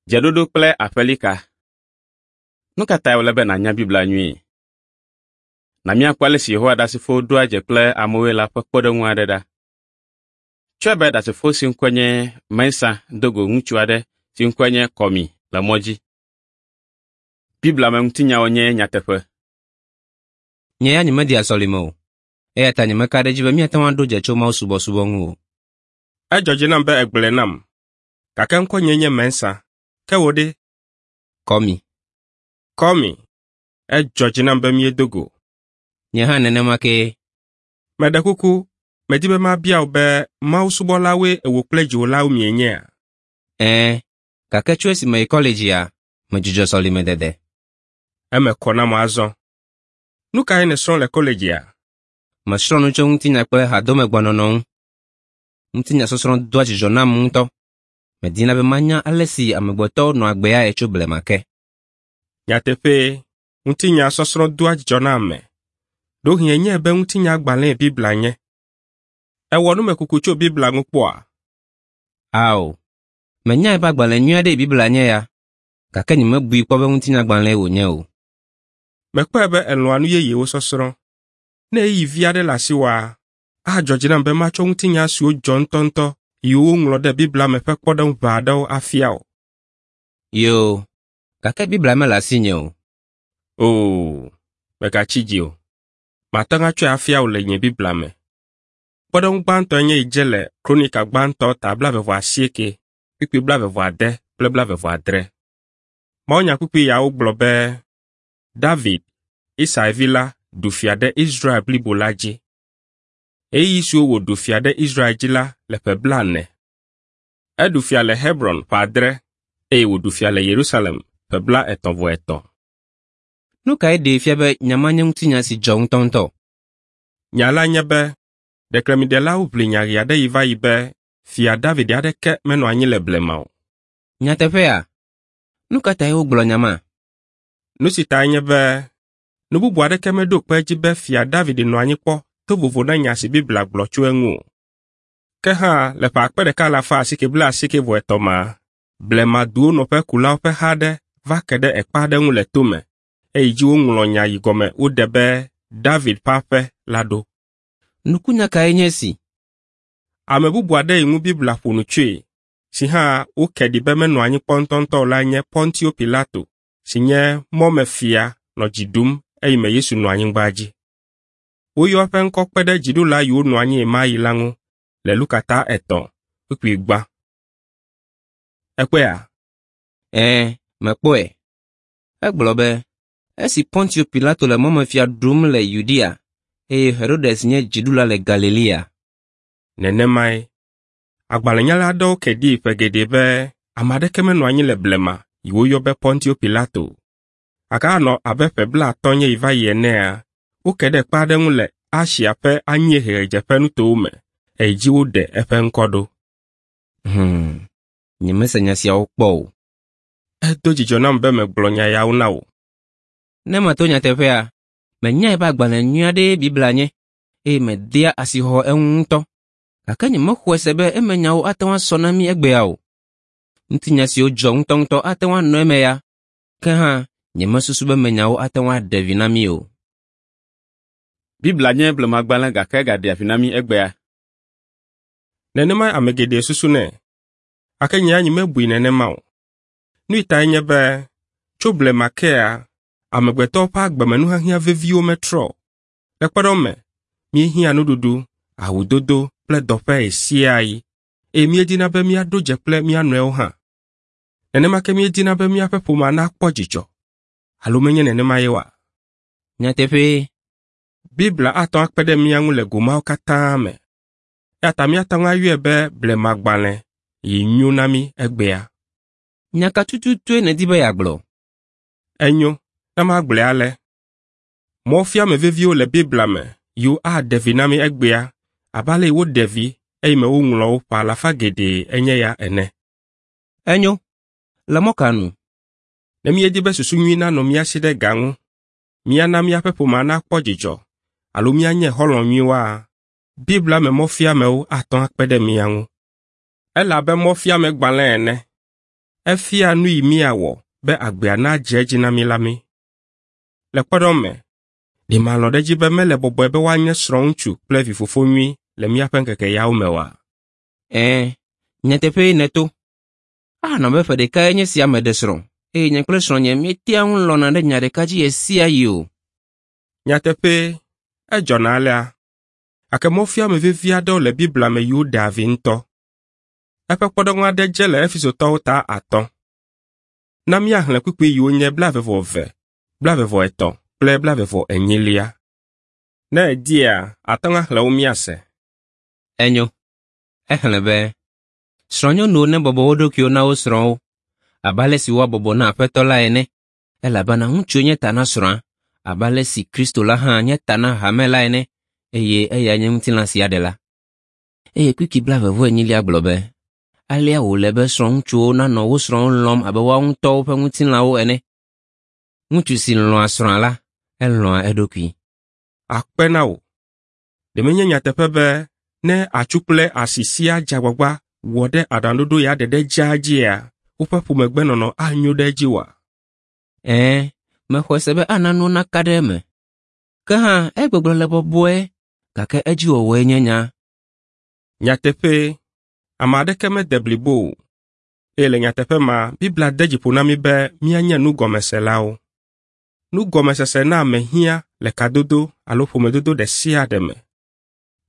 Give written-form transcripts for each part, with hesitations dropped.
Dzeɖoɖo kple aƒelika. Nu ka tae wòle be nànya Biblia nyuie? Na míakpɔ ale si Yehowa Ɖasefowo ɖoa dze kple amewoe la ƒe kpɔɖeŋu aɖe ɖa. Tsɔe be Ɖasefo si ŋkɔe nye Mensa do go ŋutsu aɖe si ŋkɔe nye Kɔmi le mɔ dzi. Biblia me ŋutinyawo nye nyateƒe. Nye ya nyemedea sɔlime o, eya ta nyemeka ɖe edzi be míate ŋu aɖo dze tso mawusubɔsubɔ ŋu o. Edzɔ dzi nam be ègblɔe nam, gake ŋkɔnyee nye Mensa. Ke wò ɖe? Kɔmi. Kɔmi. Edzɔ dzi nam be míedo go. Nye hã nenema kee. Meɖe kuku, medi be mabia wò be mawusubɔlawoe èwò kple dziwòlawo mienyea? Ɛ̃, gake tso esi meyi kɔledzia, medzudzɔ sɔlimedede. Eme kɔ nam azɔ. Nu kae nèsrɔ̃ le kɔledzia? Mesrɔ̃ nu tso ŋutinya kple hadomegbenɔnɔ ŋu. Ŋutinyasɔsrɔ̃ doa dzidzɔ nam ŋutɔ. Medina be manya ale si amegbetɔwo nɔ agbeae tso blema ke. Nyateƒee, ŋutinya sɔsrɔ̃ doa dzidzɔ na ame. Ɖewohĩ ènyae be ŋutinyagbalẽe Biblia nye. Èwɔ numekuku tso Biblia ŋu kpɔa? Ao, menyae be agbalẽ nyui aɖee Biblia nye ya, gake nyemebui kpɔ be ŋutinyagbalẽe wònye o. Mekpɔe be èlɔ̃a nu yeyewo sɔsrɔ̃. Ne ɣeyiɣi vi aɖe le asiwòa, adzɔ dzi nam be matsɔ ŋutinya siwo dzɔ ŋutɔŋutɔ yiwo woŋlɔ ɖe Biblia me ƒe kpɔɖeŋu ʋɛ aɖewo afia wò. Yoo, gake Biblia mele asinye o. Oo, mègatsi dzi o. Mate ŋu atsɔe afia wò le nye Biblia me. Kpɔɖeŋu gbãtɔe nye yi dze le Kronika gbãtɔ ta 28, kpukpui 28 kple 80. Mawunyakpukpui yawo gblɔ be David, Isai vi la, ɖu fia ɖe Israel blibo la dzi. Ɣeyiɣi siwo wòɖu fia ɖe Israel dzi la le ƒe blaene. Eɖu fia le Hebron ƒe adre eye wòɖu fia le Yerusalem ƒe 33. Nu kae ɖee fia be nya ma nye ŋutinya si dzɔ ŋutɔŋutɔ? Nya la nye be, ɖeklemiɖelawo ʋli nya ɣeaɖeɣi va yi be Fia David aɖeke menɔ anyi le blema o. Nyateƒea? Nu ka tae wogblɔ nya ma? Nu si tae nye be, nu bubu aɖeke meɖo kpe edzi be Fia David nɔ anyi kpɔ to vovo na nya si Biblia gblɔ tso eŋu o. Ke hã, le ƒe 1883 mea, blema duwo nɔƒe kulawo ƒe ha aɖe va ke ɖe ekpe aɖe ŋu le tome, eye dzi woŋlɔ nya yi gɔme woɖe be David ƒe aƒe la ɖo. Nukunya kae nye esi? Ame bubu aɖe yi ŋu Biblia ƒo nu tsoe, si hã woke ɖi be menɔ anyi kpɔ ŋutɔŋutɔ o lae nye Pontio Pilato, si nye mɔmefia nɔ dzi ɖum eyime Yesu nɔ anyigba dzi. Woyɔ eƒe ŋkɔ kpe ɖe dziɖula yiwo nɔ anyi ɣemaɣi la ŋu le Luka ta 3, kpukpui gbã. Èkpɔea? Ɛ̃, mekpɔe. Egblɔ be, esi Pontio Pilato le mɔmefia ɖum le Yudea eye Herodes nye dziɖula le Galilea. Nenemae. Agbalẽnyala aɖewo ke ɖi ƒe geɖe be ame aɖeke menɔ anyi le blema yi woyɔ be Pontio Pilato o. Gake anɔ abe ƒe 50 nye yi va yi enea, woke ɖe kpe aɖe ŋu le Asia ƒe anyieheɣedzeƒe nutowo me eye dzi woɖe eƒe ŋkɔ ɖo. Nyemese nya siawo kpɔ o. Edo dzidzɔ nam be megblɔ nya yawo na wò. Ne mato nyateƒea, menyae be agbalẽ nyui aɖee Biblia nye eye medea asixɔxɔ eŋu ŋutɔ. Gake nyemexɔe se be emenyawo ate ŋu asɔ na mí egbea o. Ŋutinya siwo dzɔ ŋutɔŋutɔ ate ŋu anɔ eme ya, ke hã nyemesusu be emenyawo ate ŋu aɖe vi na mí o. Biblia nye blemagbalẽ gake egaɖea vi na mí egbea. Nenemae ame geɖe susunɛ, gake nye ya nyemebui nenema o. Nu yi tae nye be, tso blema kea, amegbetɔwo ƒe agbemenuhiahiã veviwo metrɔ o. Le kpɔɖeŋu me, míehiã nuɖuɖu, awudodo kple dɔƒe ɣesiaɣi, eye míedina be míaɖo dze kple mía nɔewo hã. Nenema ke míedina be míaƒe ƒomea nakpɔ dzidzɔ. Alo menye nenema ye oa? Nyateƒee. Biblia ate ŋu akpe ɖe mía ŋu le go mawo katã me. Eya ta míate ŋu ayɔe be blemagbalẽ yi nyo na mí egbea. Nya ka tututue nèdi be yeagblɔ? Enyo, ne magblɔe ale. Mɔfiame veviwo le Biblia me yiwo aɖe vi na mí egbea abe ale woɖe vi eyime woŋlɔ wo ƒe alafa geɖe enye ya ene. Enyo, le mɔ ka nu? Ne míedi be susu nyui nanɔ mía si ɖe ga ŋu, míana míaƒe ƒomea nakpɔ dzidzɔ, alo míanye xɔlɔ̃ nyuiwoa, Biblia me mɔfiamewo ate ŋu akpe ɖe mía ŋu. Ele abe mɔfiamegbalẽ ene. Efia nu yi míawɔ be agbea nadze edzi na mí la mí. Le kpɔɖeŋu me, ɖe màlɔ̃ ɖe edzi be mele bɔbɔe be woanye srɔ̃ŋutsu kple vifofo nyui le míaƒe ŋkeke yawo me oa? Ɛ̃, nyateƒee nèto. Anɔ abe ƒe ɖekae nye sia meɖe srɔ̃, eye nye kple srɔ̃nye míetea ŋu lɔ̃na ɖe nya ɖeka dzi ɣesiaɣi o. Nyateƒee, edzɔna alea. Gake mɔfiame vevi aɖewo le Biblia me yiwo ɖea vi ŋutɔ. Eƒe kpɔɖeŋu aɖe dze le Efesotɔwo ta 5. Na míaxlẽ kpukpui yiwo nye 22, 23 kple 24. Ne èdia, àte ŋu axlẽ wo míase. Enyo. Exlẽ be, srɔ̃nyɔnuwo nebɔbɔ wo ɖokuiwo na wo srɔ̃wo, abe ale si woabɔbɔ na Aƒetɔ la ene, elabena ŋutsue nye ta na srɔ̃a, abe ale si Kristo la hã nye ta na hame la ene, eye eya nye ŋutilã sia ɖela. Eye kpukpui 44 gblɔ be, alea wòle be srɔ̃ŋutsuwo nanɔ wo srɔ̃wo lɔ̃m abe woawo ŋutɔwo ƒe ŋutilãwo ene. Ŋutsu si lɔ̃a srɔ̃a la, elɔ̃a eɖokui. Akpe na wò. Ɖe menye nyateƒe be ne atsu kple asi siaa dze agbagba wɔ ɖe aɖaŋuɖoɖo ya ɖeɖe dzaa dzia, woƒe ƒomegbenɔnɔ anyo ɖe edzi oa? Ɛ̃, mexɔe se be ana nuwo naka ɖe eme. Ke hã egbɔgblɔ le bɔbɔe, gake edziwɔwɔe nye nya. Nyateƒee, ame aɖeke mede blibo o. Eye le nyateƒe ma, Biblia de dzi ƒo na mí be míanye nugɔmeselawo. Nugɔmesese na ame hiã le kadodo alo ƒomedodo ɖe sia ɖe me.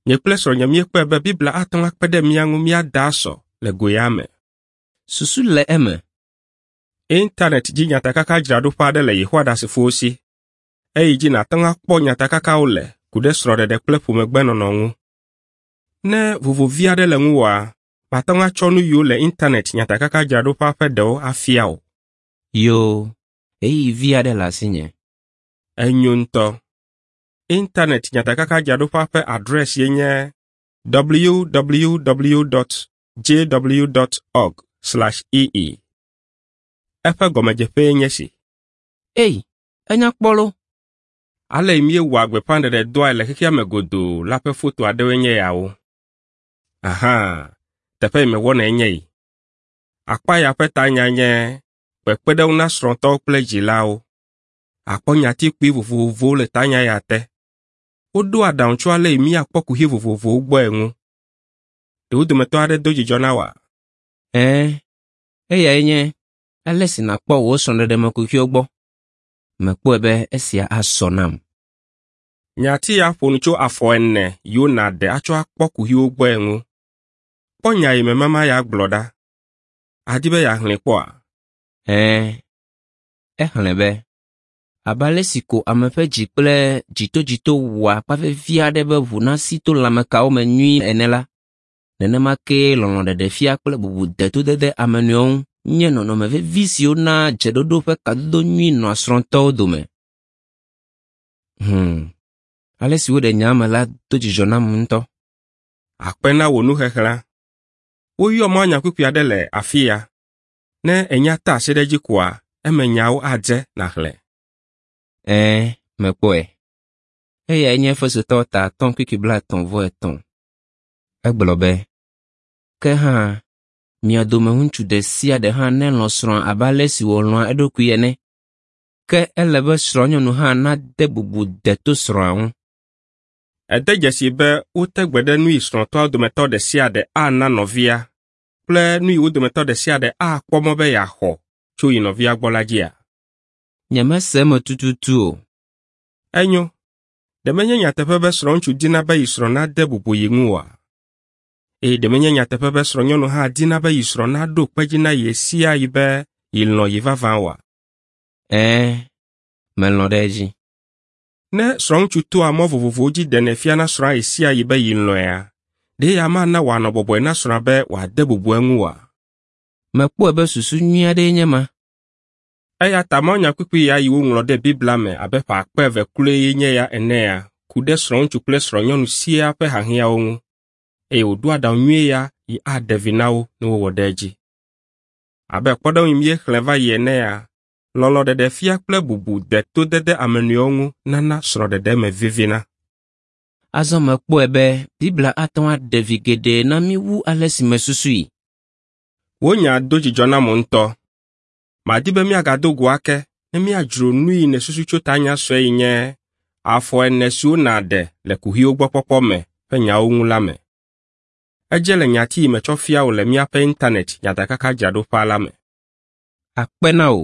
Nye kple srɔ̃nye míekpɔe be Biblia ate ŋu akpe ɖe mía ŋu míada asɔ le go ya me. Susu le eme. Intanet dzi nyatakakadzraɖoƒe aɖe le Yehowa Ɖasefowo si, eyi dzi nàte ŋu akpɔ nyatakakawo le ku ɖe srɔ̃ɖeɖe kple ƒomegbenɔnɔ ŋu. Ne vovo vi aɖe le ŋuwòa, màte ŋu atsɔ nu yiwo le intanet nyatakakadzraɖoƒea ƒe ɖewo afia o. Yoo, ɣeyiɣi vi aɖe le asinye. Enyo ŋutɔ. Intanet nyatakakadzraɖoƒea ƒe adrɛs ye nye www.jw.org/ee. Eƒe gɔmedzeƒee nye si. Ei, enya kpɔ lo. Ale míewɔa gbeƒãɖeɖedɔae le xexea me godoo la ƒe foto aɖewoe nye yawo. Aha, teƒe yi mewɔnɛ nye yi. Akpa ya ƒe tanya nye kpekpeɖeŋu na srɔ̃tɔwo kple dzilawo. Àkpɔ nyati kpui vovovowo le tanya ya te. Woɖo aɖaŋu tso ale yi míakpɔ kuxi vovovowo gbɔe ŋu. Ɖe wo dometɔ aɖe do dzidzɔ na wòa? Ɛ̃, eyae nye ale si nàkpɔ wò srɔ̃ɖeɖemekuxiwo gbɔ. Mekpɔe be esia asɔ nam. Nyati ya ƒo nu tso afɔ ene yiwo nàɖe atsɔ akpɔ kuxiwo gbɔe ŋu. Kpɔ nya yi me mama ya gblɔ ɖa. Àdi be yeaxlẽe kpɔa? Ɛ̃, exlẽ be, abe ale si ko ame ƒe dzi kple dzitodzito wɔa akpa vevi aɖe be ʋu nasi to lãmekawo me nyuie ene la, nenema kee lɔlɔ̃ɖeɖefia kple bubu detodede ame nɔewo ŋu nye nɔnɔme vevi siwo naa dzeɖoɖo ƒe kadodo nyui nɔa srɔ̃tɔwo dome. Ale si woɖe nyaa me la do dzidzɔ nam ŋutɔ. Akpe na wò nuxexlẽa. Woyɔ mawunyakpukpui aɖe le afi ya. Ne ènya ta asi ɖe edzi koa, eme nyawo adze nàxlẽ. Ɛ̃, mekpɔe. Eyae nye Efesotɔwo ta 5 kpukpui 33. Egblɔ be, ke hã, mia dome ŋutsu ɖe sia ɖe hã nelɔ̃ srɔ̃a abe ale si wòlɔ̃a eɖokui ene. Ke ele be srɔ̃nyɔnu hã nade bubu deto srɔ̃a ŋu. Ède dzesii be wote gbe ɖe nu yi srɔ̃tɔawo dometɔ ɖe sia ɖe ana nɔvia kple nu yi wo dometɔ ɖe sia ɖe akpɔ mɔ be yeaxɔ tso yi nɔvia gbɔ la dzia? Nyemese eme tututu o. Enyo, ɖe menye nyateƒe be srɔ̃ŋutsu dina be yi srɔ̃ nade bubu yi ŋu oa? Eye ɖe menye nyateƒe be srɔ̃nyɔnu hã dina be yi srɔ̃ naɖo kpe dzi na ye sia yi be yelɔ̃ ye vavã oa? Ɛ̃, melɔ̃ ɖe edzi. Ne srɔ̃ŋutsu toa mɔ vovovowo dzi ɖenɛ fiana srɔ̃a ɣesiaɣi be yelɔ̃ea, ɖe eya mana wòanɔ bɔbɔe na srɔ̃a be wòade bubu eŋu oa? Mekpɔe be susu nyui aɖee nye ma. Eya ta mawunyakpukpui ya yi woŋlɔ ɖe Biblia me abe ƒe akpe eve kloe ye nye ya enea ku ɖe srɔ̃ŋutsu kple srɔ̃nyɔnu siaa ƒe hahiãwo ŋu, eye wòɖo aɖaŋu nyui ya yi aɖe vi na wo ne wowɔ ɖe edzi. Abe kpɔɖeŋu yi míexlẽ va yi enea, lɔlɔ̃ɖeɖefia kple bubu detodede ame nɔewo ŋu nana srɔ̃ɖeɖe me vivina. Azɔ mekpɔe be Biblia ate ŋu aɖe vi geɖe na mí wu ale si mesusui. Wò nya do dzidzɔ nam ŋutɔ. Madi be míagado go ake ne míadzro nu yi nèsusu tso tanya sue yi nye afɔ ene siwo nàɖe le kuxiwo gbɔ kpɔkpɔ me ƒe nyawo ŋu la me. Edze le nyati yi metsɔ fia wò le míaƒe intanɛt nyatakakadzraɖoƒea la me. Akpe na wò.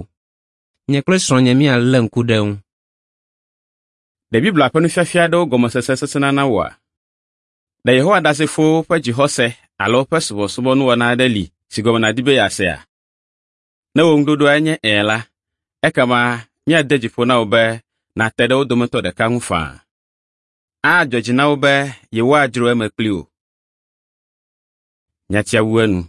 Nye kple srɔ̃nye míalé ŋku ɖe eŋu. Ɖe Biblia ƒe nufiafia aɖewo gɔmesese sesẽna na wòa? Ɖe Yehowa Ɖasefowo ƒe dzixɔse alo woƒe subɔsubɔnuwɔna aɖe li si gɔme nàdi be yeasea? Ne wò ŋuɖoɖoa nye ɛ̃ la, ekema míade dzi ƒo na wò be nàte ɖe wo dometɔ ɖeka ŋu faa. Adzɔ dzi na wo be yewoadzro eme kpli wò. Nyatia wu enu.